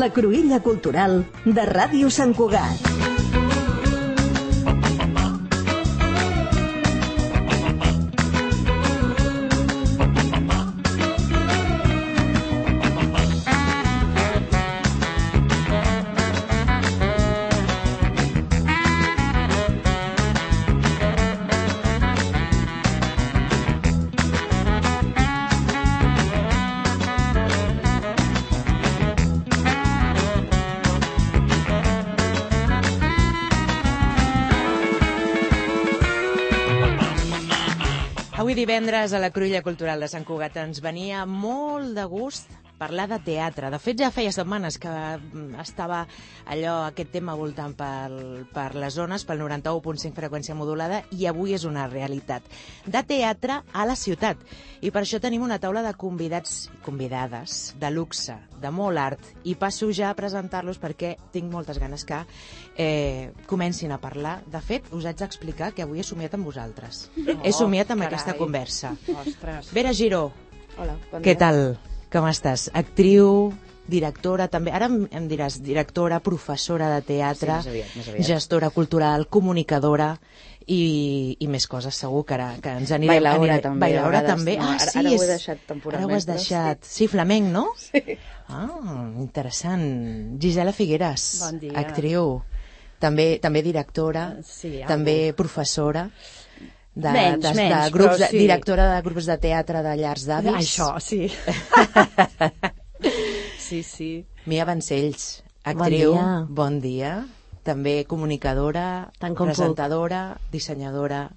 La Cruïlla Cultural de Ràdio Sant Cugat. Avui divendres a la Cruïlla Cultural de Sant Cugat ens venia molt de gust parlar de teatre. De fet, ja feia setmanes que estava aquest tema voltant per les zones, pel 91.5 freqüència modulada, i avui és una realitat. De teatre a la ciutat. I per això tenim una taula de convidats i convidades de luxe, de molt art, i passo ja a presentar-los perquè tinc moltes ganes que comencin a parlar. De fet, us haig d'explicar que avui he somiat amb vosaltres. He somiat amb aquesta conversa. Ostres. Vera Giró, Hola, bon què dia. tal? Com estàs? Actriu, directora, també. Ara em diràs directora, professora de teatre, Sí, més aviat. gestora cultural, comunicadora i més coses, segur que ens anirem... Bailaora, també, Bailaora a vegades, també. no, ara ho he deixat temporalment, Ara ho has però deixat. Sí, flamenc, no? Sí. Ah, interessant. Gisela Figueras, Bon dia. actriu, també directora, Sí, també professora, Menys, grups, però sí. directora de grups de teatre de llars d'avis. Això, sí. Sí. Mia Vancells, actriu, dia. bon dia. També comunicadora, Tant com presentadora, dissenyadora.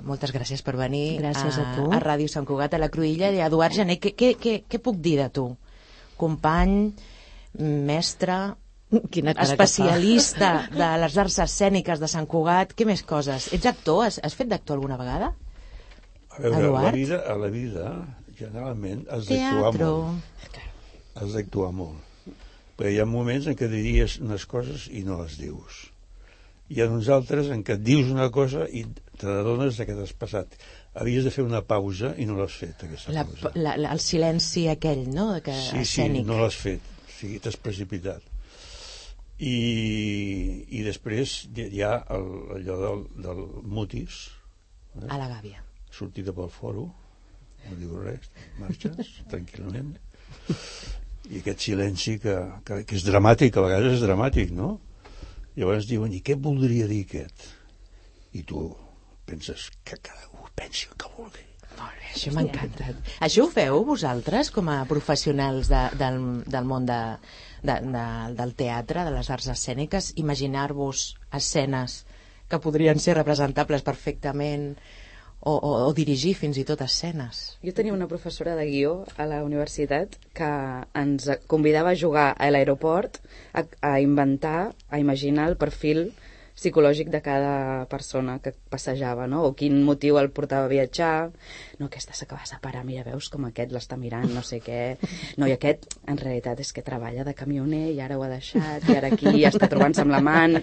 Moltes gràcies per venir Gràcies a tu. a Ràdio Sant Cugat, a la Cruïlla. I Eduard Gené, què puc dir de tu? Company, mestre, Quina cara que fa. especialista de les arts escèniques de Sant Cugat. Què més coses? Ets actor? Has fet d'actor alguna vegada? A veure, Eduard? a la vida, generalment, has d'actuar Teatro. molt. Has d'actuar molt. Perquè hi ha moments en què diries unes coses i no les dius. Hi ha uns altres en què et dius una cosa i te n'adones que t'has passat. Havies de fer una pausa i no l'has fet, aquesta pausa. El silenci aquell, no? Sí, Escènic. no l'has fet. O sigui, t'has precipitat. I després hi ha allò del mutis, A la gàbia. sortida pel foro, no diu res, marxes tranquil·lament, i aquest silenci que és dramàtic, a vegades és dramàtic, no? Llavors diuen, i què voldria dir aquest? I tu penses que cadascú pensi el que vulgui. Molt bé, això m'ha encantat. Això ho feu vosaltres com a professionals del món del teatre, de les arts escèniques, imaginar-vos escenes que podrien ser representables perfectament o dirigir fins i tot escenes? Jo tenia una professora de guió a la universitat que ens convidava a jugar a l'aeroport, a inventar, a imaginar el perfil psicològic de cada persona que passejava, no? O quin motiu el portava a viatjar. No, aquesta s'acaba de separar, mira, veus com aquest l'està mirant, no sé què. No, i aquest, en realitat, és que treballa de camioner i ara ho ha deixat, i ara aquí ja està trobant-se amb l'amant.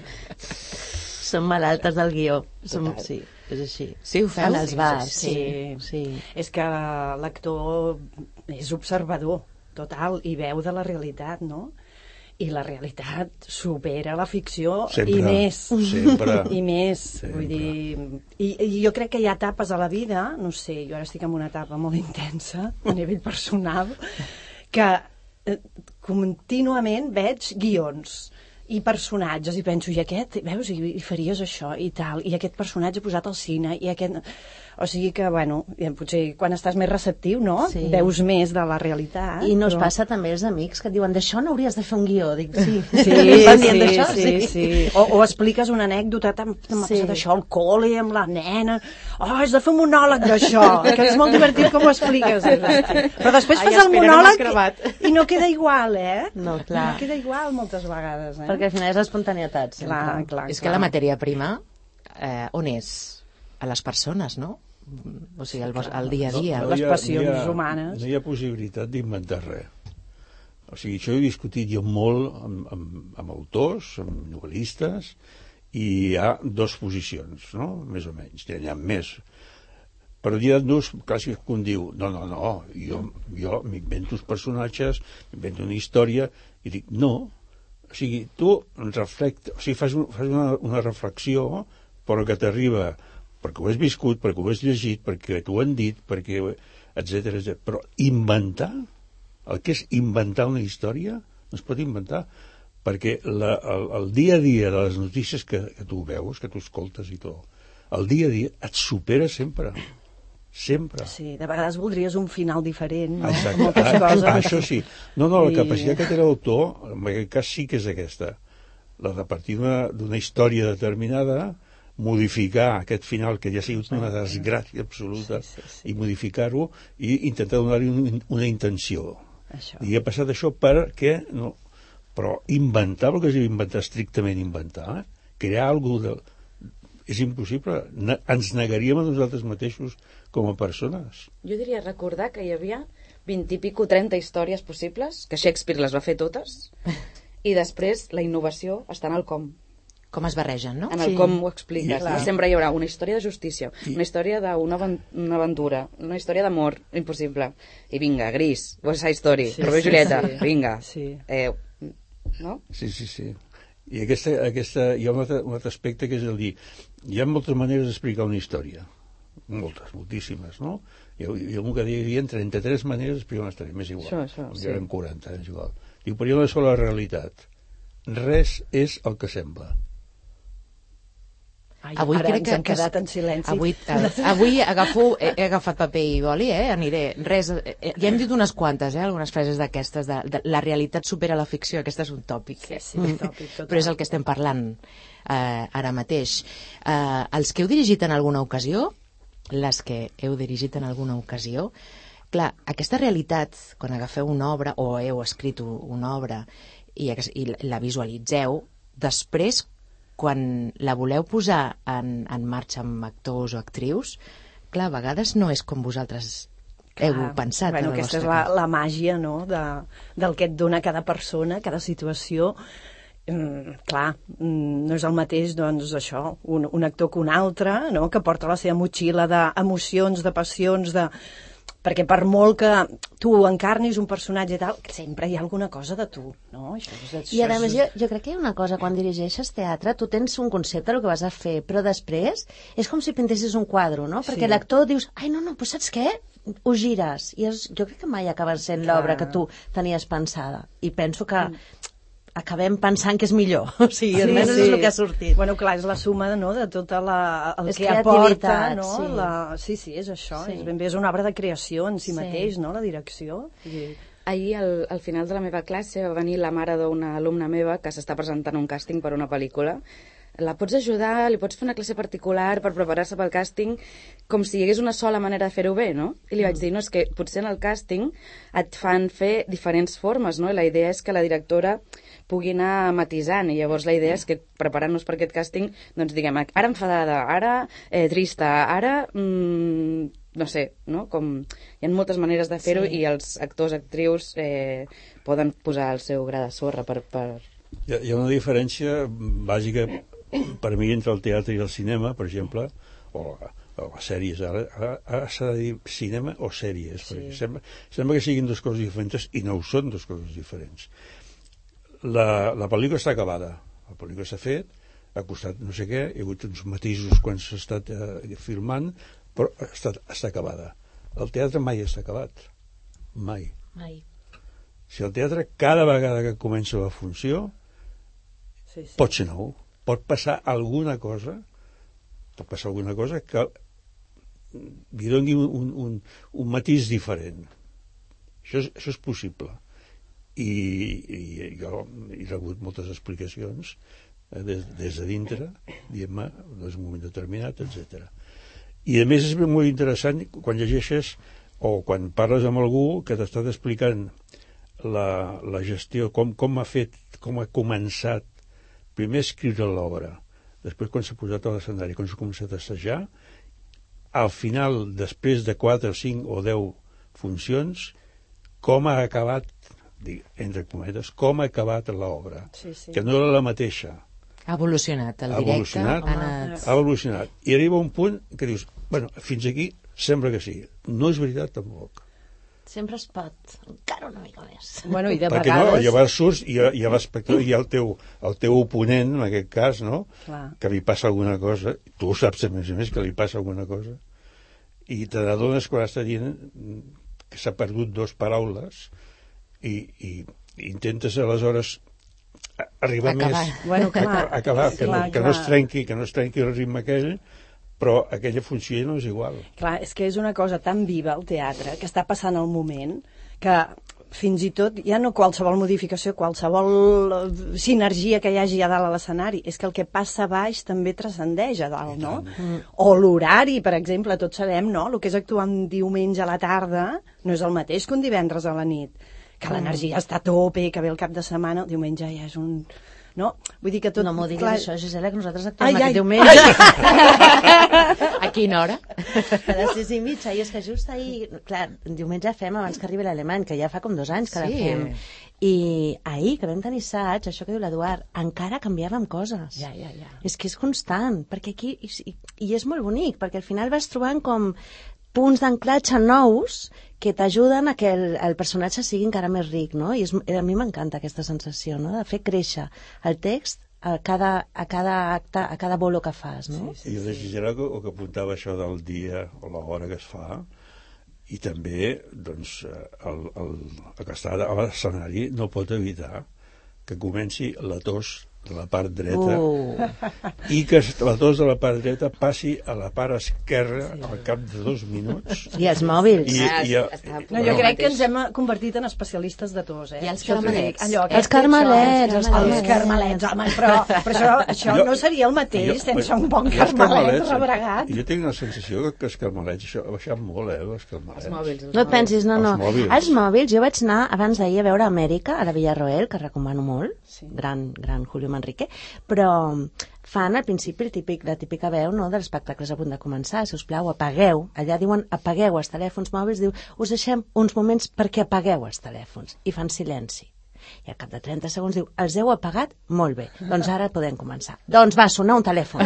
Som malaltes del guió. Total. Sí, és així. Sí, ho feu? En els bars, Sí. sí. És que l'actor és observador, total, i veu de la realitat, no? I la realitat supera la ficció Sempre, i més. sempre. I més. Sempre. Vull dir, i jo crec que hi ha etapes a la vida, no sé, jo ara estic en una etapa molt intensa a nivell personal, que contínuament veig guions i personatges i penso, i aquest, veus, i faries això i tal, i aquest personatge posat al cine i aquest... O sigui que, bueno, potser quan estàs més receptiu, no? Sí. Veus més de la realitat. I no es passa també als amics que et diuen d'això no hauries de fer un guió. Dic, sí. Sí, Estan dient d'això? sí. O expliques una anècdota, m'ha passat això al col·le amb la nena, has de fer un monòleg d'això, que és molt divertit com ho expliques. Però després fas el monòleg i no queda igual, No, clar. No queda igual moltes vegades, Perquè al final és espontaneïtat, sempre. Clar. És que la matèria prima, on és? A les persones, no? O sigui, al dia a dia. Les passions humanes. No hi ha possibilitat d'inventar res. O sigui, això ho he discutit jo molt amb autors, amb novel·listes, i hi ha dues posicions, no? Més o menys, n'hi ha més. Però n'hi ha dos, quasi que un diu, no, jo m'invento els personatges, m'invento una història, i dic, no, o sigui, tu fas una reflexió, però que t'arriba perquè ho has viscut, perquè ho has llegit, perquè t'ho han dit, perquè etcètera. Però inventar, el que és inventar una història, no es pot inventar, perquè el dia a dia de les notícies que tu veus, que tu escoltes i tot, el dia a dia et supera sempre. Sempre. Sí, de vegades voldries un final diferent, no? Exacte. Moltes coses. Això sí. No, la capacitat que té l'autor, en aquest cas sí que és aquesta. La de partir d'una història determinada, modificar aquest final que ja ha sigut una desgràcia absoluta, i modificar-ho i intentar donar-li una intenció. I ha passat això perquè no, però inventar, el que és inventar, estrictament inventar, crear alguna cosa és impossible. Ens negaríem a nosaltres mateixos com a persones. Jo diria recordar que hi havia 20 i pico, 30 històries possibles, que Shakespeare les va fer totes, i després la innovació està en el com. Com es barregen, no? En el com ho expliques. Sempre hi haurà una història de justícia, una història d'una aventura, una història d'amor, impossible. I vinga, Gris, West Side Story, Romeo i Julieta, vinga. No? Sí. I hi ha un altre aspecte que és el dir, hi ha moltes maneres d'explicar una història. Moltíssimes, no? Jo que hi havia 33 maneres d'explicar una història, m'és igual. Hi eren 40, és igual. Diu, però hi ha una sola realitat. Res és el que sembla. Avui ara crec ens hem quedat en silenci. Avui he agafat paper i boli, aniré. Ja hem dit unes quantes, algunes frases d'aquestes, de la realitat supera la ficció, aquest és un tòpic. Un tòpic total. Però és el que estem parlant ara mateix. Els que heu dirigit en alguna ocasió, clar, aquesta realitat, quan agafeu una obra, o heu escrit una obra, i la visualitzeu, després, quan la voleu posar en marxa amb actors o actrius, clar, a vegades no és com vosaltres heu pensat. Aquesta és la màgia, no?, del que et dona cada persona, cada situació. Clar, no és el mateix, doncs, això, un actor que un altre, no?, que porta la seva motxilla d'emocions, de passions, perquè per molt que tu encarnis un personatge i tal, sempre hi ha alguna cosa de tu, no? I a més, jo crec que hi ha una cosa, quan dirigeixes teatre, tu tens un concepte del que vas a fer, però després és com si pintessis un quadre, no? Perquè l'actor dius, no, doncs saps què? Ho gires. I jo crec que mai acaba sent l'obra que tu tenies pensada. I penso que acabem pensant que és millor. O sigui, almenys és el que ha sortit. Bueno, clar, és la suma, no?, de tota el és que aporta, no? Sí. Sí, és això. És una obra de creació en si mateix, no?, la direcció. Ahir, al final de la meva classe, va venir la mare d'una alumna meva que s'està presentant un càsting per una pel·lícula. La pots ajudar, li pots fer una classe particular per preparar-se pel càsting, com si hi hagués una sola manera de fer-ho bé, no? I li vaig dir, no, és que potser en el càsting et fan fer diferents formes, no? I la idea és que la directora pugui anar matisant, i llavors la idea és que preparant-nos per aquest càsting, doncs diguem, ara enfadada, ara trista, ara no sé, no? Com hi ha moltes maneres de fer-ho i els actors, actrius poden posar el seu gra de sorra per... Hi ha una diferència bàsica per mi entre el teatre i el cinema, per exemple, o les sèries. Ara s'ha de dir cinema o sèries, perquè sembla que siguin dues coses diferents i no ho són dues coses diferents. La pel·lícula està acabada, la pel·lícula s'ha fet, ha costat no sé què, hi ha hagut uns matisos quan s'ha estat filmant, però està acabada. El teatre mai està acabat. Mai. Si el teatre, cada vegada que comença la funció, pot ser nou, pot passar alguna cosa que li doni un matís diferent. Això és possible. I jo he rebut moltes explicacions des de dintre, dient-me, en un moment determinat, etc. I a més és molt interessant quan llegeixes o quan parles amb algú que t'ha estat explicant la gestió, com ha fet, com ha començat primer a escriure l'obra, després quan s'ha posat a l'escenari, quan s'ha començat a assajar, al final, després de 4 o 5 o 10 funcions, com ha acabat, entre cometes, com ha acabat l'obra, que no era la mateixa. Ha evolucionat el directe. Ha evolucionat. I arriba un punt que dius, bueno, fins aquí sembla que sí. No és veritat, tampoc. Sempre es pot, encara una mica més. Bueno, i de perquè vegades... no, llavors surts i hi ha l'espectador, hi ha el teu oponent, en aquest cas, no? Clar. Que li passa alguna cosa, tu ho saps a més que li passa alguna cosa, i te n'adones quan està dient que s'ha perdut dues paraules i intentes aleshores arribar acabar. més Bueno, clar, acabar, que no es trenqui el ritme aquell, però aquella funció ja no és igual. Clar, és que és una cosa tan viva el teatre, que està passant el moment, que fins i tot ja no qualsevol modificació, qualsevol sinergia que hi hagi a dalt a l'escenari, és que el que passa a baix també transcendeix a dalt, no? O l'horari, per exemple, tots sabem, no? El que és actuar un diumenge a la tarda no és el mateix que un divendres a la nit, que l'energia està a tope, que ve el cap de setmana, el diumenge ja és un... No? Vull dir que tot... No m'ho diguis clar... això, Gisela, que nosaltres actuem aquest diumenge. A quina hora? A les 6:30, i és que just ahir... Clar, diumenge fem abans que arribi l'alemany, que ja fa com 2 anys que la fem. I ahir, que vam tenir assaig, això que diu l'Eduard, encara canviàvem coses. Ja. És que és constant, perquè aquí... I és molt bonic, perquè al final vas trobant com punts d'anclatge nous que t'ajuden a que el personatge sigui encara més ric, no? I a mi m'encanta aquesta sensació, no?, de fer créixer el text a cada acte, a cada bolo que fas, no? I la Gisela, el que apuntava això del dia o l'hora que es fa, i també, doncs, el que està a l'escenari no pot evitar que comenci la tos de la part dreta i que la tos de la part dreta passi a la part esquerra al cap de 2 minuts. I els mòbils. No, jo crec que ens hem convertit en especialistes de tos, I els carmelets. Els carmelets, home, però això no seria el mateix sense un bon carmelet rebregat. Jo tinc la sensació que els carmelets, això ha baixat molt, els carmelets. Els mòbils. No et pensis, no. Els mòbils, jo vaig anar abans d'ahir a veure Amèrica, a la Villarroel, que recomano molt, gran Julio Manrique, però fan al principi la típica veu, no, dels espectacles a punt de començar. Si us plau, apagueu. Allà diuen apagueu els telèfons mòbils, diu us deixem uns moments perquè apagueu els telèfons. I fan silenci. I al cap de 30 segons diu, els heu apagat? Molt bé, doncs ara podem començar. Doncs va sonar un telèfon.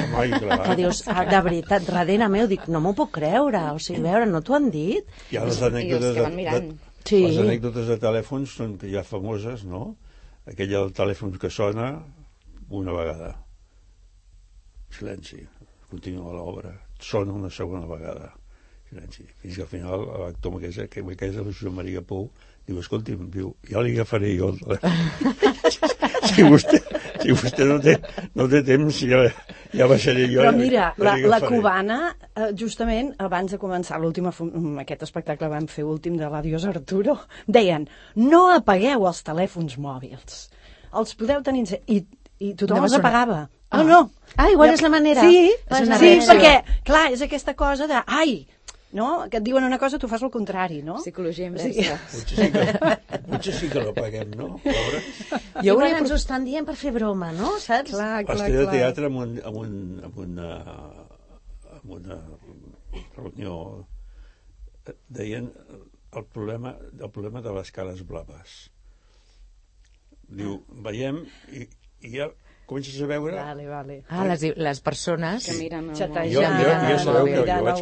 Que dius, de veritat, darrere meu, dic, no m'ho puc creure. O sigui, veure, no t'ho han dit? Hi ha les anècdotes de telèfons són ja famoses, no? Aquella del telèfon que sona una vegada. Silenci. Continua l'obra. Sona una segona vegada. Silenci. Fins que al final l'actor Maquesa, que és el Josep Maria Pou, diu, escolti'm, ja li agafaré jo el telèfon. si vostè no té temps, ja baixaré jo. Però mira, la cubana, justament abans de començar aquest espectacle vam fer últim de l'Adiós Arturo, deien, no apagueu els telèfons mòbils. Els podeu tenir... I tothom els apagava. No. Igual és la manera. Sí, perquè, clar, és aquesta cosa de... no? Que et diuen una cosa, tu fas el contrari, no? Psicologia inversa. Potser sí que l'apaguem, no? Igual ens ho estan dient per fer broma, no? Saps? L'estil de teatre amb una reunió deien el problema de les cares blaves. Diu, veiem i ja comences a veure... Vale. Les persones que miren jo sabeu que jo vaig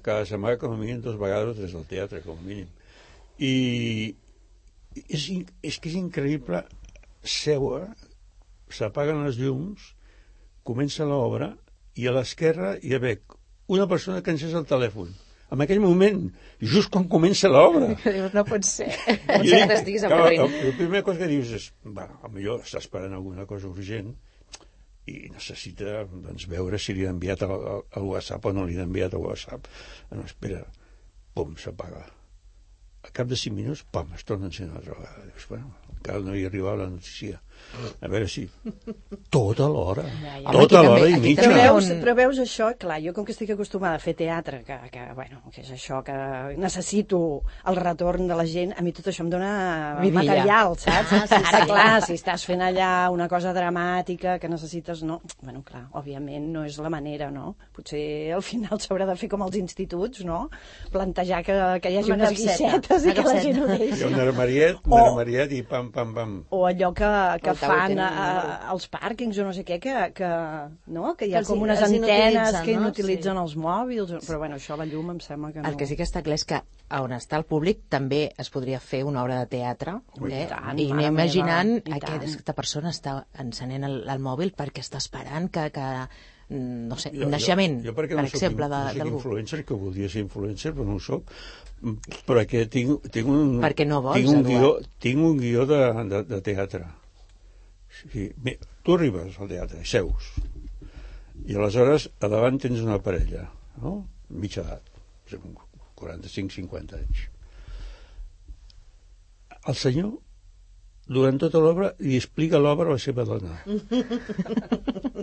cada setmana com a mínim 2 vegades o 3 al teatre, com a mínim. I és que és increïble seure, s'apaguen les llums, comença l'obra i a l'esquerra hi ha una persona que encès el telèfon. En aquell moment, just quan comença l'obra. No pot ser. Potser que t'estiguis avorrint. La primera cosa que dius és, potser està esperant alguna cosa urgent i necessita veure si li ha enviat al WhatsApp o no li ha enviat al WhatsApp. No, espera, pum, s'apaga. Al cap de 5 minuts, pam, es torna a encendre una altra vegada. Dius, encara no hi arribava la notícia. A veure si... Tota l'hora. Tota l'hora i mitja. Però veus això, clar, jo com que estic acostumada a fer teatre, que és això, que necessito el retorn de la gent, a mi tot això em dona material, saps? Ara, clar, si estàs fent allà una cosa dramàtica que necessites, no... Bueno, clar, òbviament no és la manera, no? Potser al final s'haurà de fer com als instituts, no? Plantejar que hi hagi unes guixetes i que la gent ho deixi. Hi ha un armariet i pam, pam, pam. O allò que que fan als pàrquings o no sé què, que hi ha com unes antenes que inutilitzen els mòbils, però bueno, això la llum em sembla que no. El que sí que està clar és que on està el públic també es podria fer una obra de teatre, i anem imaginant aquesta persona està encenent el mòbil perquè està esperant que no sé, un naixement, per exemple, d'algú. Jo soc influencer, que voldria ser influencer, però no ho soc, perquè tinc un... Perquè no vols, Eduard. Tinc un guió de teatre. Sí, tu arribes al teatre, seus, i aleshores a davant tens una parella, no? Mitja edat, 45-50 anys. El senyor, durant tota l'obra, li explica l'obra a la seva dona.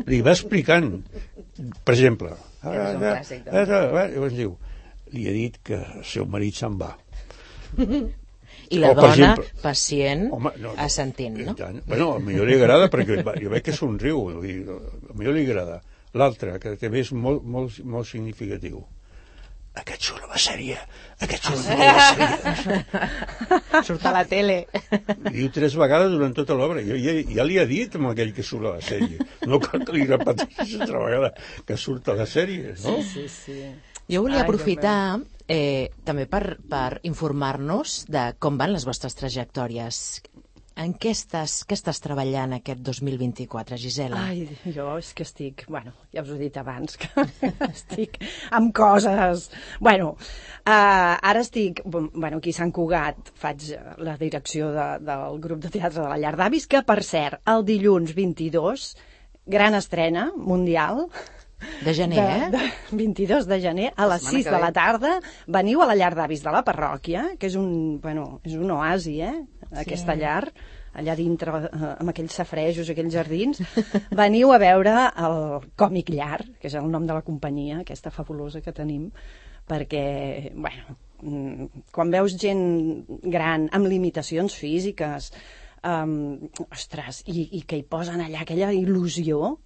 Li va explicant. Per exemple, llavors diu, li he dit que el seu marit se'n va. I la dona, pacient, assentint, no? Bueno, a millor li agrada, perquè jo veig que somriu, a millor li agrada. L'altre, que també és molt significatiu. Aquest surt a la sèrie, aquest surt a la sèrie. Surt a la tele. Diu 3 vegades durant tota l'obra. Ja li ha dit amb aquell que surt a la sèrie. No cal que li repeteixi altra vegada que surt a la sèrie, no? Sí. Jo volia aprofitar també per informar-nos de com van les vostres trajectòries. En què estàs treballant aquest 2024, Gisela? Ai, jo és que estic... Bueno, ja us ho he dit abans, que estic amb coses... Bueno, ara estic... Bueno, aquí a Sant Cugat faig la direcció del grup de teatre de la Llar d'Avis, que, per cert, el dilluns 22, gran estrena mundial... De gener, 22 de gener, a les 6 de la tarda, veniu a la Llar d'Avis de la parròquia, que és un oasi, aquesta llar, allà dintre, amb aquells safrejos, aquells jardins. Veniu a veure el Còmic Llar, que és el nom de la companyia, aquesta fabulosa que tenim, perquè, bueno, quan veus gent gran amb limitacions físiques, ostres, i que hi posen allà aquella il·lusió,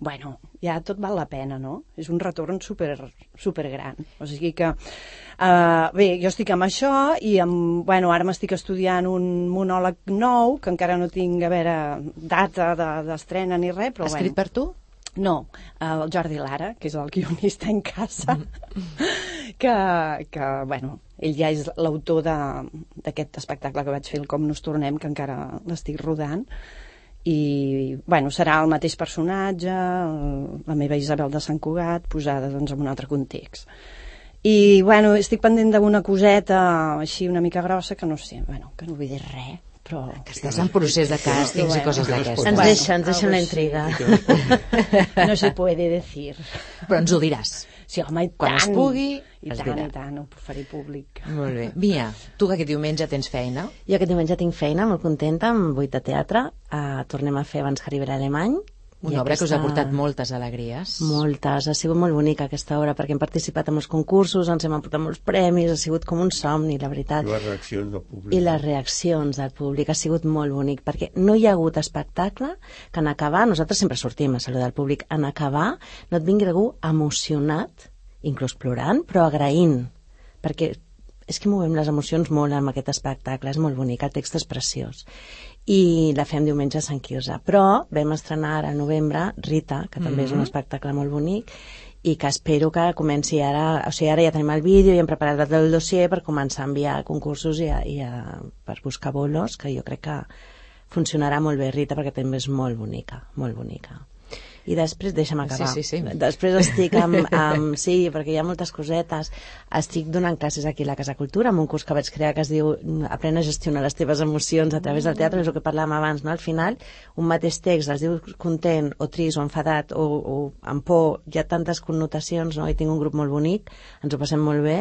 bueno, ja tot val la pena, no? És un retorn super gran. O sigui que, bé, jo estic amb això i ara m'estic estudiant un monòleg nou, que encara no tinc, a veure, data d'estrena ni res, però Escrit per tu? No, el Jordi Lara, que és el guionista en casa, que bueno, ell ja és l'autor d'aquest espectacle que vaig fer, el Com nos tornem, que encara l'estic rodant, i bueno, serà el mateix personatge, la meva Isabel de Sant Cugat, posada doncs en un altre context. I bueno, estic pendent d'una coseta així una mica grossa, que no sé, bueno, que no vull dir res, però... Que estàs en procés de càstings i coses d'aquestes. Ens deixen la intriga. No se puede decir. Però ens ho diràs. Sí, home, i quan tant. Es pugui, I tant, ho faré públic. Molt bé. Mia, tu que aquest diumenge tens feina? Jo aquest diumenge tinc feina, molt contenta, amb 8 de teatre. Tornem a fer Abans que arribarà alemany. Una obra que us ha portat moltes alegries. Moltes, ha sigut molt bonica aquesta obra, perquè hem participat en molts concursos, ens hem emportat molts premis, ha sigut com un somni, la veritat. I les reaccions del públic. I les reaccions del públic, ha sigut molt bonic, perquè no hi ha hagut espectacle que en acabar, nosaltres sempre sortim a saludar el públic, en acabar no et vingui algú emocionat, inclús plorant, però agraint, perquè és que movem les emocions molt amb aquest espectacle, és molt bonic, el text és preciós. I la fem diumenge a Sant Quirze. Però vam estrenar ara al novembre Rita, que també és un espectacle molt bonic, i que espero que comenci ara, o sigui, ara ja tenim el vídeo i hem preparat el dossier per començar a enviar a concursos per buscar bolos, que jo crec que funcionarà molt bé Rita, perquè també és molt bonica, molt bonica. I després, deixa'm acabar. Sí. Després estic sí, perquè hi ha moltes cosetes. Estic donant classes aquí a la Casa Cultura, amb un curs que vaig crear que es diu Aprèn a gestionar les teves emocions a través del teatre, és el que parlàvem abans, no? Al final, un mateix text es diu content, o trist, o enfadat, o amb por, hi ha tantes connotacions, no? I tinc un grup molt bonic, ens ho passem molt bé.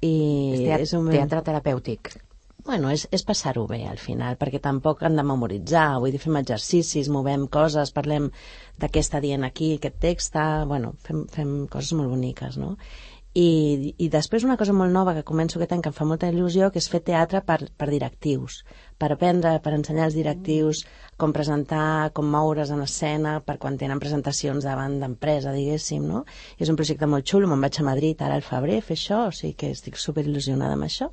És un teatre terapèutic. Bueno, és passar-ho bé al final, perquè tampoc han de memoritzar, vull dir, fem exercicis, movem coses, parlem de què està dient aquí aquest text, bueno, fem coses molt boniques, no? I després una cosa molt nova que començo aquest any, que em fa molta il·lusió, que és fer teatre per directius, per aprendre, per ensenyar als directius com presentar, com moure's en escena, per quan tenen presentacions davant d'empresa, diguéssim, no? I és un projecte molt xulo, me'n vaig a Madrid ara al febrer a fer això, o sigui que estic superil·lusionada amb això.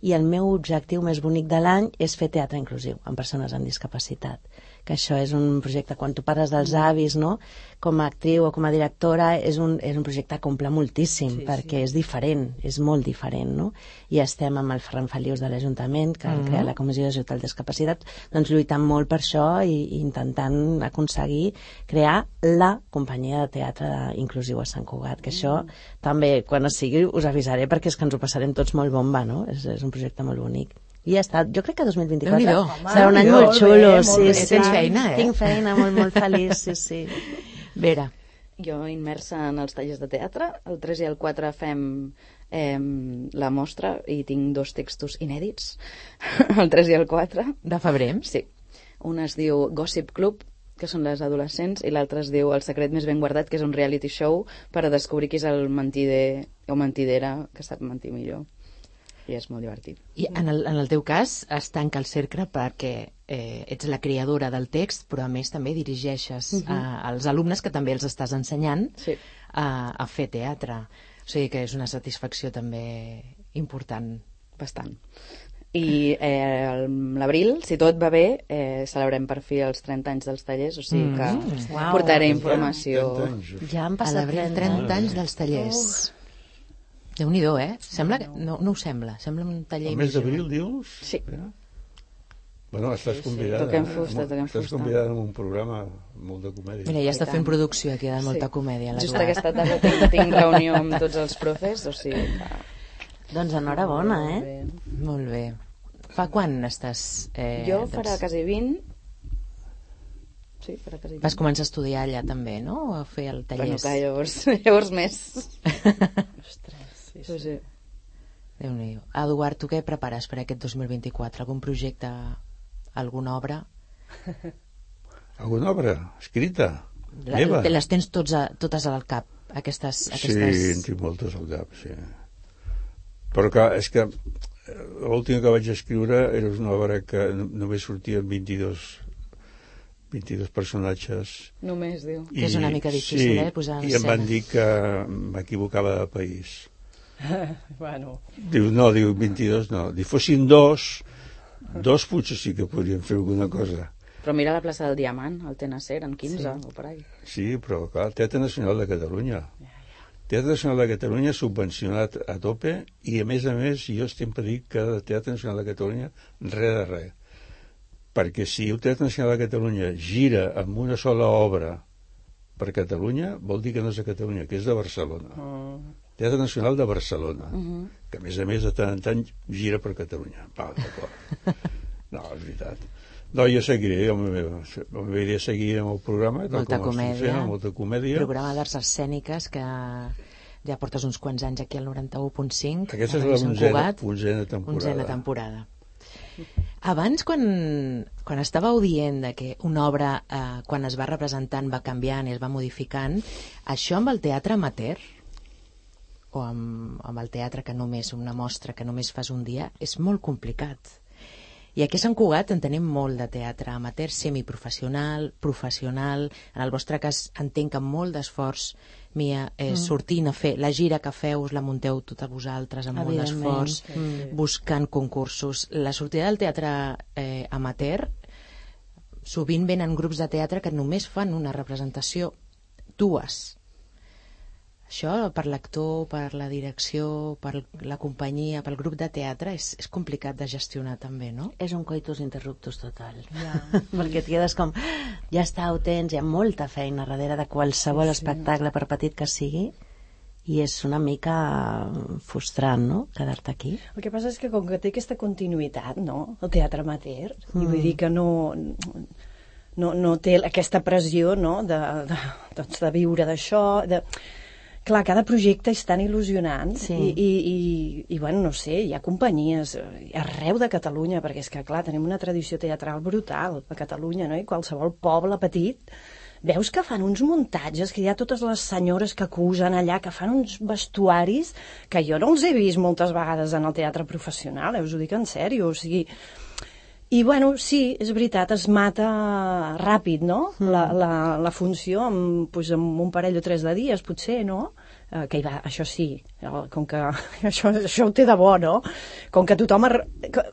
I el meu objectiu més bonic de l'any és fer teatre inclusiu, amb persones amb discapacitat, que això és un projecte, quan tu parles dels avis, no?, com a actriu o com a directora, és un projecte que omple moltíssim, perquè és diferent, és molt diferent, no? I estem amb el Ferran Felius de l'Ajuntament, que crea la Comissió d'Ajut al Discapacitat, doncs lluitant molt per això i intentant aconseguir crear la companyia de teatre inclusiu a Sant Cugat, que això també, quan es sigui, us avisaré, perquè és que ens ho passarem tots molt bomba, no? És un projecte molt bonic. I ja està, jo crec que 2024 serà un any molt xulo. Tens feina, Tinc feina, molt feliç, sí. Vera. Jo immersa en els tallers de teatre. El 3 i el 4 fem la mostra i tinc 2 textos inèdits, el 3 i el 4. De febrer? Sí. Un es diu Gossip Club, que són les adolescents, i l'altre es diu El secret més ben guardat, que és un reality show per a descobrir qui és el mentider o mentidera que sap mentir millor. I és molt divertit. I en el teu cas es tanca el cercle perquè ets la creadora del text, però a més també dirigeixes als alumnes que també els estàs ensenyant a fer teatre. O sigui que és una satisfacció també important. Bastant. I l'abril, si tot va bé, celebrem per fi els 30 anys dels tallers, o sigui que portaré informació. Ja han passat 30 anys dels tallers. Déu-n'hi-do, Sembla que... No ho sembla. Sembla un taller... El mes d'abril, dius? Sí. Bueno, estàs convidada. Toquem fusta. Estàs convidada en un programa molt de comèdia. Mira, ja està fent producció aquí de molta comèdia. Just aquesta tarda tinc reunió amb tots els profes, o sigui que... Doncs enhorabona, Molt bé. Fa quan estàs... Jo farà quasi 20... Sí, farà quasi 20. Vas començar a estudiar allà també, no? O a fer el taller? Bueno, clar, llavors més. Ostres, sí. Déu-n'hi-do. Eduard, tu què prepares per aquest 2024? Algun projecte, alguna obra? Alguna obra escrita? Meva? Les tens totes al cap, aquestes... Sí, en tinc moltes al cap, sí. Però clar, és que l'última que vaig escriure era una obra que només sortien 22 personatges. Només, diu. Que és una mica difícil, posar en escena. I em van dir que m'equivocava de país. Bueno. Diu 22 no. Si fossin dos potser sí que podríem fer alguna cosa. Però mira la plaça del Diamant, el Tenacer, en 15, o per ahí. Sí, però clar, el Teatre Nacional de Catalunya. Teatre Nacional de Catalunya subvencionat a tope i a més jo sempre dic que el Teatre Nacional de Catalunya res de res. Perquè si el Teatre Nacional de Catalunya gira amb una sola obra per Catalunya, vol dir que no és de Catalunya, que és de Barcelona. Teatre Nacional de Barcelona, que a més de tant en tant gira per Catalunya. Val, d'acord. No, és veritat. No, jo seguiré, m'agradaria seguir amb el programa, molta comèdia, molta comèdia. Programa d'arts escèniques que ja portes uns quants anys aquí al 91.5. Aquesta és la 11a temporada. Abans, quan estàveu dient de que una obra, quan es va representant, va canviant i es va modificant, això amb el teatre amateur o amb el teatre que només, una mostra que només fas un dia, és molt complicat. I aquí a Sant Cugat en tenim molt de teatre amateur, semiprofessional, professional. En el vostre cas entenc que amb molt d'esforç, Mia, sortint a fer la gira que feu, us la munteu totes vosaltres amb molt d'esforç, buscant concursos. La sortida del teatre amateur sovint venen grups de teatre que només fan una representació, dues. Això per l'actor, per la direcció, per la companyia, pel grup de teatre és complicat de gestionar també, no? És un coitus interruptus total. Perquè et quedes com, ja està, ho tens, hi ha molta feina darrere de qualsevol espectacle, per petit que sigui, i és una mica frustrant, no?, quedar-te aquí. El que passa és que com que té aquesta continuïtat, no?, el teatre amateur, i vull dir que no té aquesta pressió, no?, de viure d'això, clar, cada projecte és tan il·lusionant i bueno, no sé, hi ha companyies arreu de Catalunya, perquè és que, clar, tenim una tradició teatral brutal a Catalunya, no?, i qualsevol poble petit veus que fan uns muntatges, que hi ha totes les senyores que acusen allà, que fan uns vestuaris que jo no els he vist moltes vegades en el teatre professional, us ho dic en sèrio, o sigui... I, bueno, sí, és veritat, es mata ràpid, no?, la funció, amb un parell o 3 de dies, potser, no?, que hi va, això sí, com que això ho té de bo, no?, com que tothom...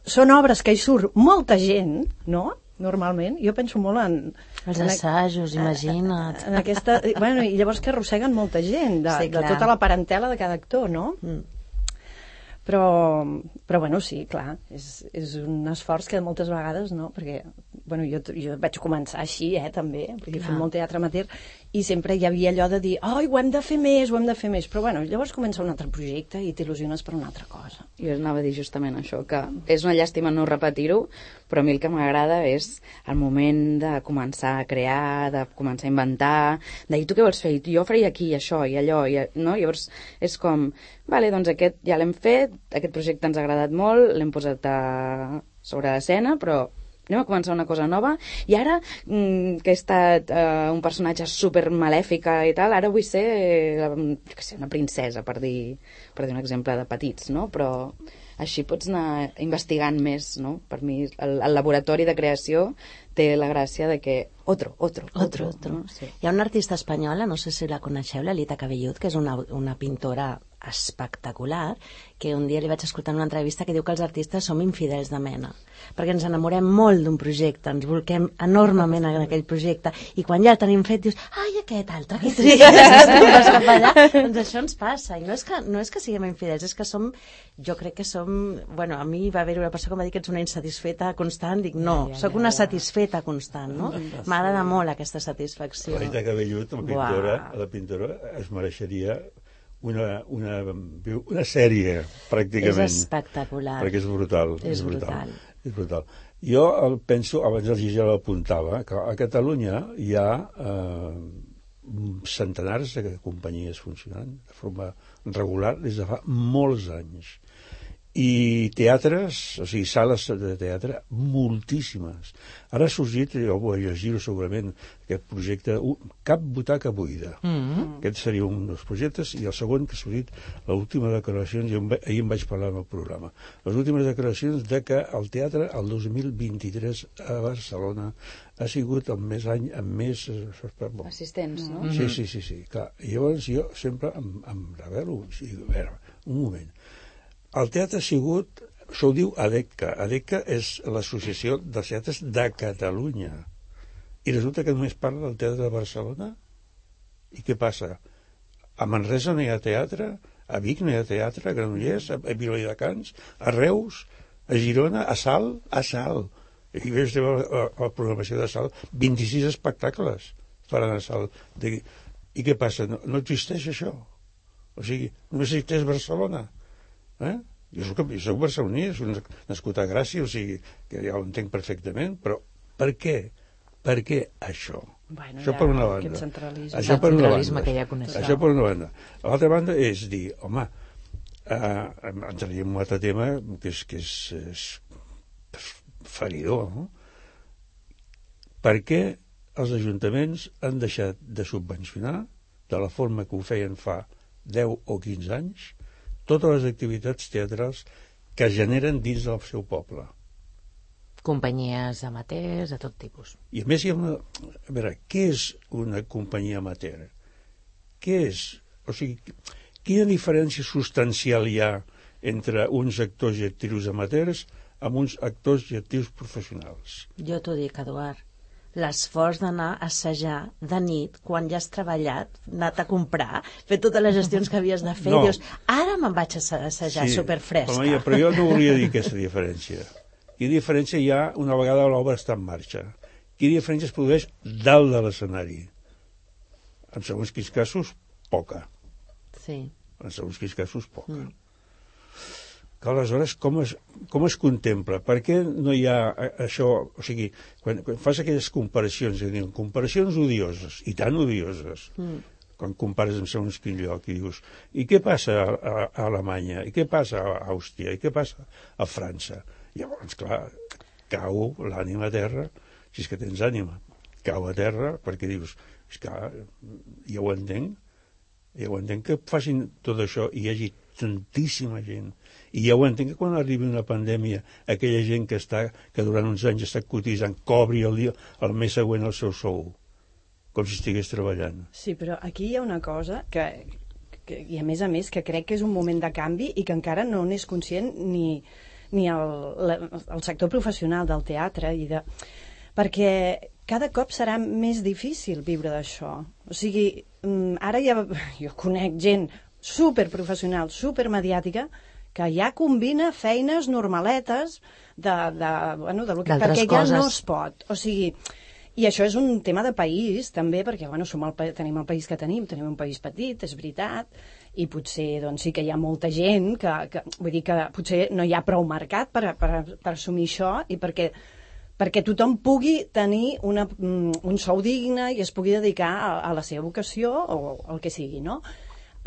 Són obres que hi surt molta gent, no?, normalment. Jo penso molt en... Els assajos, imagina't. En aquesta... Bueno, i llavors que arrosseguen molta gent, de tota la parentela de cada actor, no? Però bueno, sí, clar, és un esforç que moltes vegades, no? Perquè, bueno, jo vaig començar així, també, perquè he fet molt teatre amateur, i sempre hi havia allò de dir, ho hem de fer més, però bueno, llavors comença un altre projecte i t'il·lusiones per una altra cosa. Jo anava a dir justament això, que és una llàstima no repetir-ho, però a mi el que m'agrada és el moment de començar a crear, de començar a inventar, de dir, tu què vols fer? Jo faria aquí això i allò, no? Llavors és com, vale, doncs aquest ja l'hem fet, aquest projecte ens ha agradat molt, l'hem posat sobre l'escena, però anem a començar una cosa nova, i ara que he estat un personatge super malèfica i tal, ara vull ser una princesa, per dir un exemple de petits, no? Però així pots anar investigant més, no? Per mi el laboratori de creació té la gràcia de que otro. No? Sí. Hi ha una artista espanyola, no sé si la coneixeu, l'Elita Cabellut, que és una pintora espectacular, que un dia li vaig escoltar en una entrevista que diu que els artistes som infidels de mena, perquè ens enamorem molt d'un projecte, ens volquem enormement en aquell projecte, i quan ja el tenim fet dius, ai, aquest altre, que doncs això ens passa, i no és que siguem infidels, és que jo crec que som, bueno, a mi va haver una persona que em va dir que ets una insatisfeta constant, dic, no, sóc una satisfeta constant, no? M'agrada molt aquesta satisfacció. L'Elita Cabellut, la pintora, es mereixeria una sèrie, pràcticament. És espectacular. Perquè és brutal. És brutal. Jo penso, abans el Gigi l'apuntava, que a Catalunya hi ha centenars de companyies funcionant de forma regular des de fa molts anys. I teatres, o sigui, sales de teatre, moltíssimes. Ara ha sorgit, jo ho llegir segurament, aquest projecte, Cap butaca buida. Aquest seria un dels projectes, i el segon que ha sorgit, l'última declaracions, i ahir em vaig parlar en el programa, les últimes declaracions de que el teatre, el 2023 a Barcelona, ha sigut el més any amb més... assistents, no? Sí. Clar. I llavors jo sempre em revelo, a veure, un moment. El teatre ha sigut, això ho diu ADECA. ADECA és l'Associació dels Teatres de Catalunya. I resulta que només parla del teatre de Barcelona? I què passa? A Manresa no hi ha teatre? A Vic no hi ha teatre? A Granollers? A Viladecans? A Reus? A Girona? A Salt? A Salt. I veus la programació de Salt. 26 espectacles faran a Salt. I què passa? No existeix això. O sigui, només existeix Barcelona. Jo soc barceloní, soc nascut a Gràcia, o sigui, que ja ho entenc perfectament, però per què? Per què això? Bueno, això per una banda. Això per una banda. Que ja coneixem. Això per una banda. L'altra banda és dir, home, entraríem en un altre tema que és feridor, no? Per què els ajuntaments han deixat de subvencionar, de la forma que ho feien fa 10 o 15 anys, totes les activitats teatrals que es generen dins del seu poble? Companyies amateurs, de tot tipus. I a més hi ha una... A veure, què és una companyia amateur? Què és? O sigui, quina diferència substancial hi ha entre uns actors i actrius amateurs amb uns actors i actrius professionals? Jo t'ho dic, Eduard. L'esforç d'anar a assajar de nit, quan ja has treballat, anat a comprar, fer totes les gestions que havies de fer, dius, ara me'n vaig a assajar superfresca. Però jo no volia dir aquesta diferència. Quina diferència hi ha una vegada l'obra està en marxa? Quina diferència es produeix dalt de l'escenari? En segons quins casos, poca. Sí. En segons quins casos, poca. Que aleshores com es contempla? Per què no hi ha això? O sigui, quan fas aquelles comparacions, comparacions odioses, i tan odioses, quan compares en segons quin lloc, i dius, i què passa a Alemanya? I què passa a Àustria? I què passa a França? Llavors, clar, cau l'ànima a terra, si és que tens ànima, cau a terra, perquè dius, és que ja ho entenc que facin tot això i hi hagi tantíssima gent. I ja ho entenc que quan arribi una pandèmia, aquella gent que durant uns anys està cotitzant, cobri el mes següent el seu sou, com si estigués treballant. Sí, però aquí hi ha una cosa i a més que crec que és un moment de canvi i que encara no n'és conscient ni el sector professional del teatre i de... perquè cada cop serà més difícil viure d'això. O sigui, ara jo conec gent superprofessional, supermediàtica, que ja combina feines normaletes perquè ja no es pot. O sigui, i això és un tema de país, també, perquè tenim el país que tenim un país petit, és veritat, i potser doncs, sí que hi ha molta gent vull dir que potser no hi ha prou mercat per assumir això i perquè tothom pugui tenir un sou digne i es pugui dedicar a la seva vocació o el que sigui, no?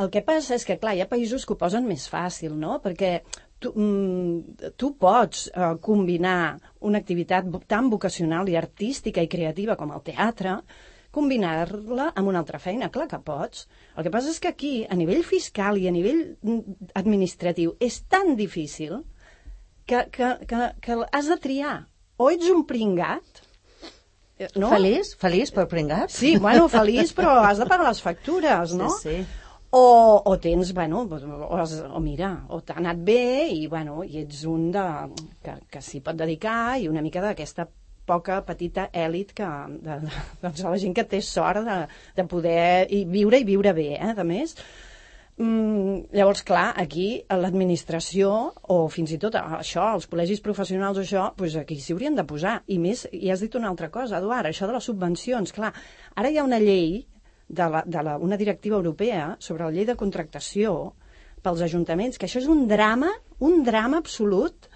El que passa és que, clar, hi ha països que ho posen més fàcil, no? Perquè tu pots combinar una activitat tan vocacional i artística i creativa com el teatre, combinar-la amb una altra feina. Clar que pots. El que passa és que aquí, a nivell fiscal i a nivell administratiu, és tan difícil que has de triar. O ets un pringat, no? Feliç per pringat? Sí, bueno, feliç, però has de pagar les factures, no? Sí. O tens, o mira, o t'ha anat bé i ets un que s'hi pot dedicar i una mica d'aquesta poca petita èlit doncs la gent que té sort de poder viure bé, a més. Llavors, clar, aquí l'administració o fins i tot això, els col·legis professionals o això, doncs aquí s'hi haurien de posar. I més, i has dit una altra cosa, Eduard, això de les subvencions. Clar, ara hi ha una llei una directiva europea sobre la llei de contractació pels ajuntaments, que això és un drama absolut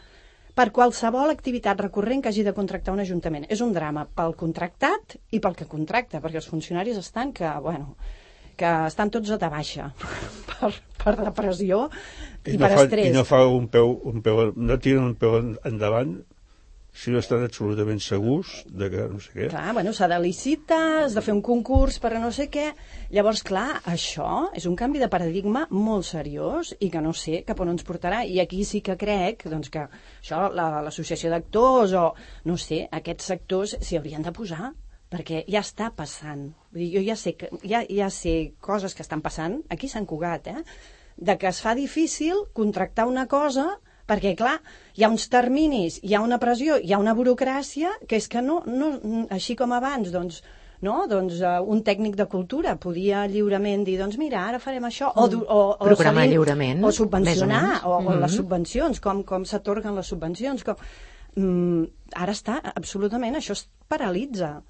per qualsevol activitat recurrent que hagi de contractar un ajuntament. És un drama pel contractat i pel que contracta, perquè els funcionaris estan que estan tots a baixa per depressió i per estrès. I no fa no tiren un peu endavant si no estan absolutament segurs de que no sé què. Clar, s'ha de licitar, has de fer un concurs per a no sé què. Llavors, clar, això és un canvi de paradigma molt seriós i que no sé cap on ens portarà. I aquí sí que crec que això, l'associació d'actors o, no sé, aquests sectors s'hi haurien de posar, perquè ja està passant. Vull dir, jo ja sé coses que estan passant aquí a Sant Cugat, de que es fa difícil contractar una cosa perquè, clar, hi ha uns terminis, hi ha una pressió, hi ha una burocràcia que és que no així com abans, un tècnic de cultura podia lliurement dir, doncs mira, ara farem això, o programar lliurement, o subvencionar, o les subvencions, com s'atorguen les subvencions. Ara està, absolutament, això es paralitza.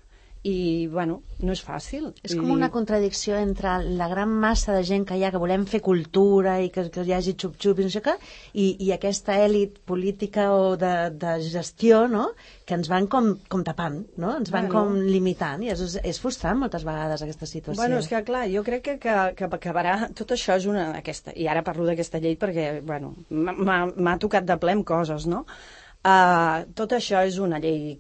I, no és fàcil. És com una contradicció entre la gran massa de gent que hi ha, que volem fer cultura i que hi hagi xup-xup i no sé què, i aquesta èlit política o de gestió, no?, que ens van com tapant, no?, ens van com limitant, i és frustrant moltes vegades aquesta situació. És que, clar, jo crec que acabarà... Tot això és i ara parlo d'aquesta llei perquè, m'ha tocat de ple amb coses, no? Tot això és una llei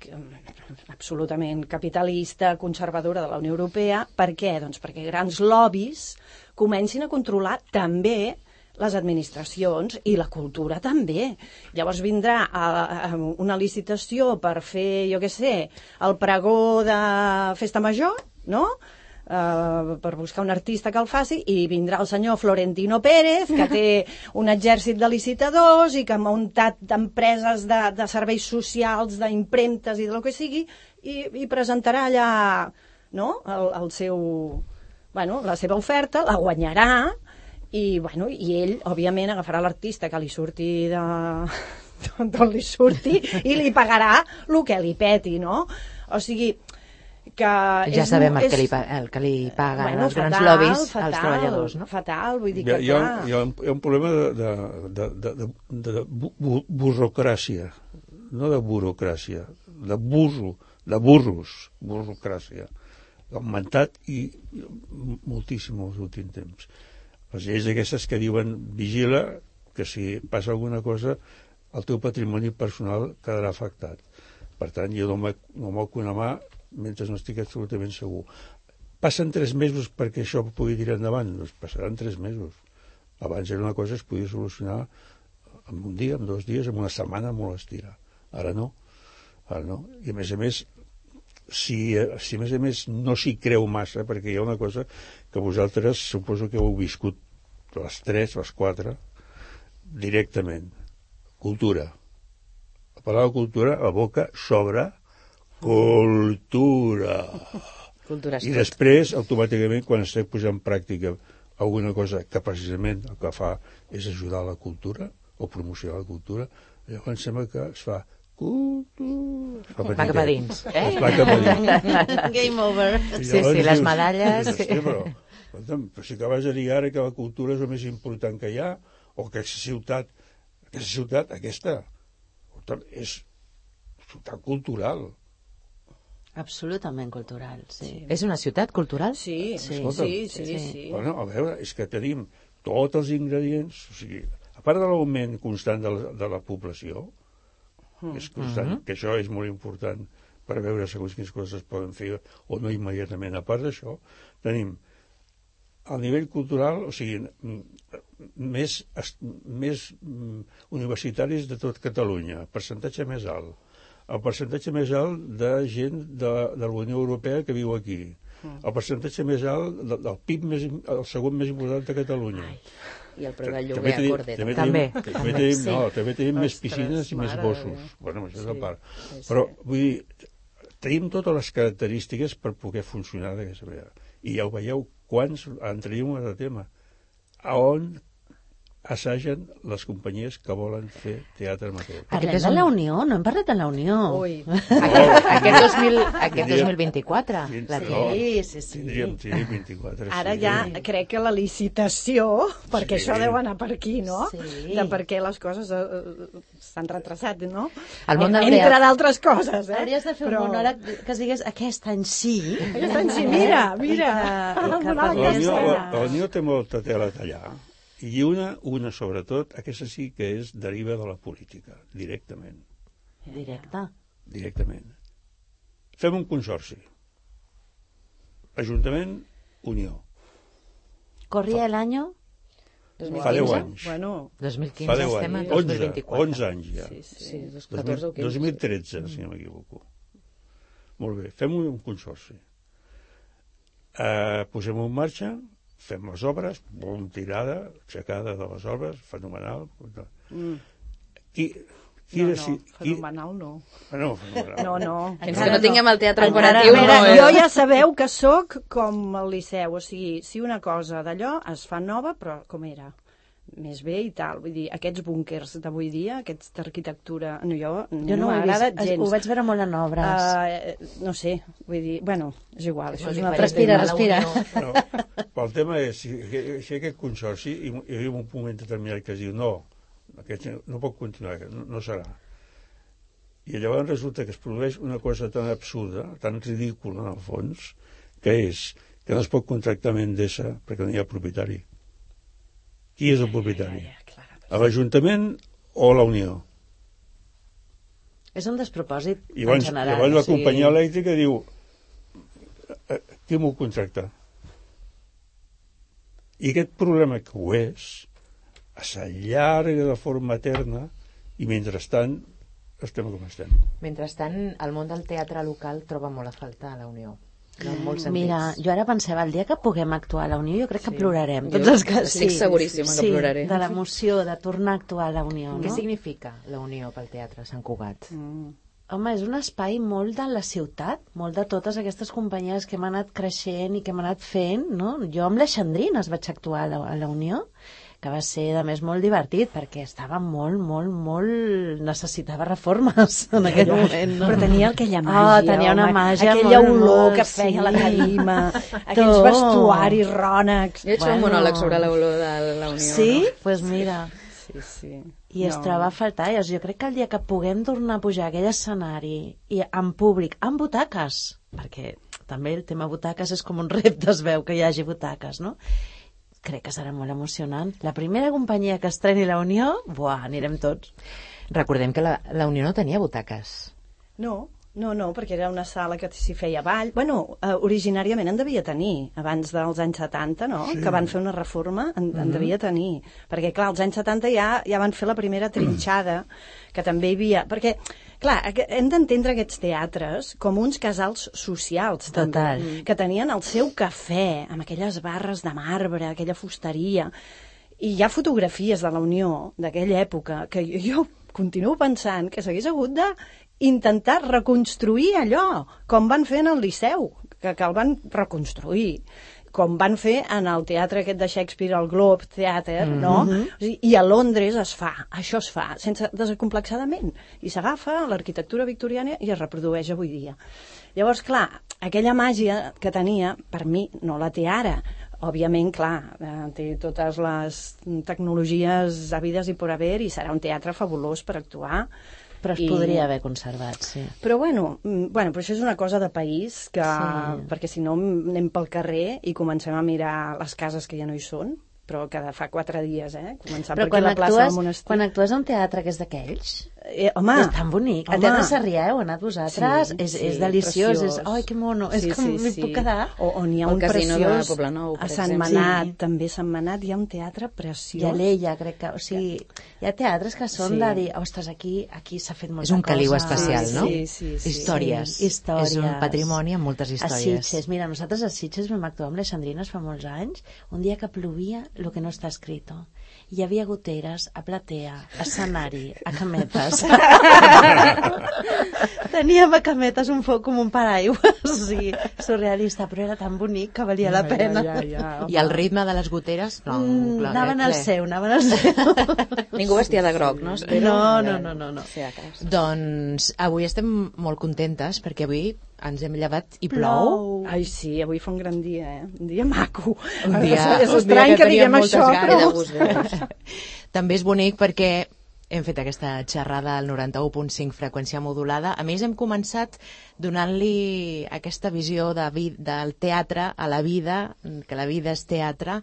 absolutament capitalista, conservadora de la Unió Europea. Per què? Doncs perquè grans lobbies comencin a controlar també les administracions i la cultura també. Llavors vindrà una licitació per fer, jo què sé, el pregó de festa major, no?, per buscar un artista que el faci, i vindrà el senyor Florentino Pérez, que té un exèrcit de licitadors i que ha muntat empreses de serveis socials, d'impremtes i del que sigui, i presentarà allà, no?, el seu, la seva oferta, la guanyarà, i ell, òbviament, agafarà l'artista que li surti d'on li surti i li pagarà el que li peti, no? O sigui, que ja sabem el que li paguen els grans lobbies als treballadors, no? Fatal, vull dir que hi ha un problema de burocràcia, no de burocràcia, de burocràcia. Ha augmentat i moltíssim els últims temps. Les lleis aquestes que diuen vigila que si passa alguna cosa el teu patrimoni personal quedarà afectat. Per tant, jo no moc una mà mentre no estic absolutament segur. Passen 3 mesos perquè això pugui tirar endavant? Doncs passaran 3 mesos. Abans era una cosa que es podia solucionar en un dia, en 2 dies, en una setmana, molt estira. Ara no. I a més, si a més no s'hi creu massa, perquè hi ha una cosa que vosaltres suposo que heu viscut les 3, les 4, directament. Cultura. A parlar de cultura, la boca s'obre Cultura. Cultura és I tot. després, automàticament, quan es posa en pràctica alguna cosa que precisament el que fa és ajudar a la cultura o promocionar la cultura, llavors sembla que es fa cultura. Va cap a dins. Es va cap a dins. Game over. I Sí, llavors les dius, medalles. Hòstia, però, escolta'm, però si acabes de dir ara que la cultura és el més important que hi ha, o que aquesta ciutat, aquesta, és ciutat cultural. Absolutament cultural, sí. És una ciutat cultural? Sí, sí, Escolta'm. sí. Bueno, a veure, és que tenim tots els ingredients, o sigui, a part de l'augment constant de la població, que és constant, que això és molt important per veure segons quines coses es poden fer o no immediatament. A part d'això, tenim al nivell cultural, o sigui, més universitaris de tot Catalunya, percentatge més alt. El percentatge més alt de gent de la Unió Europea que viu aquí. El percentatge més alt del PIB, el segon més important de Catalunya. I el preu del lloguer a Cordera. També tenim més piscines i més gossos. Bueno, això és a part. Però, vull dir, tenim totes les característiques per poder funcionar d'aquesta manera. I ja ho veieu, quants entraríem en el tema. A on assagen les companyies que volen fer teatre amateur. Parlem de la Unió, no hem parlat de la Unió. Ui. Aquest 2024. La Sí. Tindríem 24. Ara ja crec que la licitació, perquè Sí. això deu anar per aquí, no? Sí. De per què les coses s'han retrasat, no? El món del Entre teatre. d'altres coses, Hauries de fer un monòleg que es digués aquest any sí. Aquest any sí, mira. I que Monòleg parlés de- de- La Unió té molta tela a tallar. I una sobretot, aquesta sí que és deriva de la política, directament. Directament. Fem un consorci. Ajuntament, Unió. ¿Corría el año? Fa 10 anys. Bueno, 2015 Fa 10 estem en anys. 2024. 11 anys ja. Sí, 14 o 15. 2013, si no m'equivoco. Molt bé, fem un consorci. Posem en marxa, fem les obres, tirada, aixecada de les obres, fenomenal. Qui fenomenal no. Fenomenal. No. Fins que no tinguem el teatre Encara, operatiu, no, jo ja sabeu que sóc com el Liceu, o sigui, si una cosa d'allò es fa nova, però com era? Més bé i tal, vull dir, aquests búnkers d'avui dia, aquests d'arquitectura, jo no m'agrada gens. Ho vaig veure molt en obres. No sé, vull dir, bueno, és igual, això és una altra Respira, tema. respira. No, però el tema és, si aquest consorci, hi ha un moment determinat que es diu no, aquest no pot continuar, no serà. I llavors resulta que es produeix una cosa tan absurda, tan ridícula en el fons, que és que no es pot contractar amb Endesa perquè no hi ha propietari. Qui és el propietari? L'Ajuntament o la Unió? És un despropòsit I en llavors, general. la companyia elèctrica diu qui m'ho contracta? I aquest problema que ho és s'allarga de forma eterna i mentrestant estem com estem. Mentrestant, el món del teatre local troba molt a faltar la Unió. No, en molts sentits. Mira, jo ara pensava, el dia que puguem actuar a la Unió, jo crec que plorarem. Tots els que estic seguríssima que ploraré. De l'emoció de tornar a actuar a la Unió, no? Què significa la Unió pel teatre a Sant Cugat? Home, és un espai molt de la ciutat, molt de totes aquestes companyies que hem anat creixent i que hem anat fent, no? Jo amb les Xandrines vaig actuar a la Unió, que va ser, a més, molt divertit, perquè estava molt... necessitava reformes en aquell moment, no? Però tenia aquella màgia, tenia una màgia aquella molt, olor molt, que feia la sí. tarima, aquells vestuaris rònecs. Jo he hecho un monòleg sobre l'olor de la Unió. Sí? No? Doncs pues mira... Sí. I es troba a faltar. Jo crec que el dia que puguem tornar a pujar a aquell escenari i en públic, amb butaques, perquè també el tema butaques és com un repte, es veu que hi hagi butaques, no? Crec que serà molt emocionant. La primera companyia que estreni la Unió, anirem tots. Recordem que la Unió no tenia butaques. No, perquè era una sala que s'hi feia ball. Bueno, originàriament en devia tenir, abans dels anys 70, no? Sí. Que van fer una reforma, en devia tenir. Perquè, clar, als anys 70 ja van fer la primera trinxada, que també hi havia... Perquè, clar, hem d'entendre aquests teatres com uns casals socials, Total. també, que tenien el seu cafè, amb aquelles barres de marbre, aquella fusteria. I hi ha fotografies de la Unió d'aquella època que jo continuo pensant que s'hagués hagut d'intentar reconstruir allò, com van fer en el Liceu, que el van reconstruir, com van fer en el teatre aquest de Shakespeare, el Globe Theatre, no? O sigui, i a Londres això es fa, sense desacomplexadament, i s'agafa l'arquitectura victoriana i es reprodueix avui dia. Llavors, clar, aquella màgia que tenia, per mi, no la té ara. Òbviament, clar, té totes les tecnologies havides i per haver i serà un teatre fabulós per actuar. Però es podria haver conservat, sí. Però però això és una cosa de país, perquè si no anem pel carrer i comencem a mirar les cases que ja no hi són, però que fa 4 dies, començant per aquí la plaça del Monestir. Quan actues a un teatre que és d'aquells, home, és tan bonic. A Teatre Sarrià heu anat vosaltres, és deliciós, ai, que mono, és com m'hi puc quedar. O n'hi ha un preciós a Sant Manat, també a Sant Manat hi ha un teatre preciós. I a l'Ella, crec que, o sigui, hi ha teatres que són de dir, ostres, aquí s'ha fet molta cosa. És un caliu especial, no? Sí. Històries. És un patrimoni amb moltes històries. A Sitges, mira, nosaltres a Sitges vam actuar amb les Sandrines fa molts anys, un dia que plovia lo que no està escrito. Hi havia goteres a platea, a escenari, a cametes. Teníem a cametes un foc com un paraigües, o sigui, surrealista, però era tan bonic que valia la pena. I el ritme de les goteres? No, clar, anaven al seu. Ningú vestia de groc, no? No. Doncs avui estem molt contentes perquè avui ens hem llevat i plou. Ai, sí, avui fa un gran dia, Un dia maco. És estrany que diguem això, però... També és bonic perquè hem fet aquesta xerrada al 91.5 freqüència modulada. A més, hem començat donant-li aquesta visió del teatre a la vida, que la vida és teatre,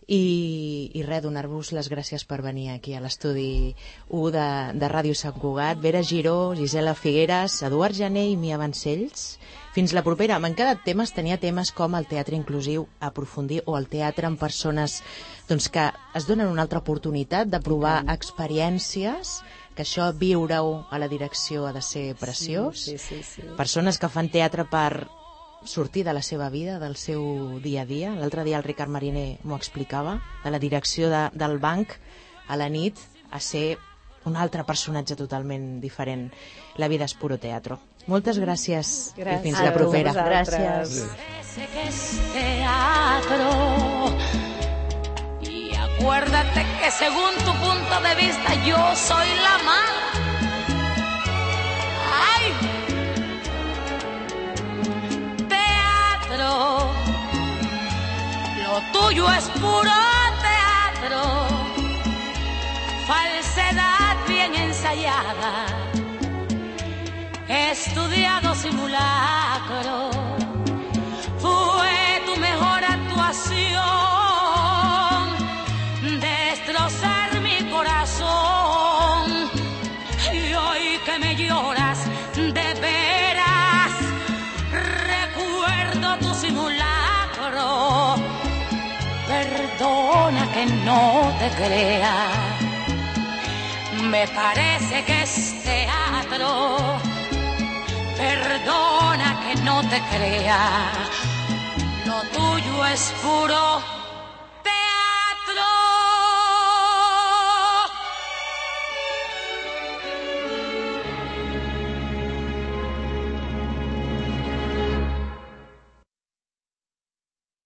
i res, donar-vos les gràcies per venir aquí a l'estudi 1 de Ràdio Sant Cugat. Vera Giró, Gisela Figueres, Eduard Jané i Mia Vancells. Fins la propera. M'han quedat temes, tenia temes com el teatre inclusiu a aprofundir o el teatre amb persones doncs, que es donen una altra oportunitat de provar experiències, que això viure-ho a la direcció ha de ser preciós. Sí. Persones que fan teatre per sortir de la seva vida, del seu dia a dia. L'altre dia el Ricard Mariner m'ho explicava, de la direcció del banc a la nit a ser un altre personatge totalment diferent. La vida és puro teatro. Moltes gràcies i fins la propera. Gràcies. Que es teatro y acuérdate que según tu punto de vista yo soy la mala. Ay, teatro, lo tuyo es puro teatro, falsedad bien ensayada, estudiado simulacro, fue tu mejor actuación, destrozar mi corazón, y hoy que me lloras de veras, recuerdo tu simulacro, perdona que no te crea, me parece que es teatro. Perdona que no te crea, lo tuyo es puro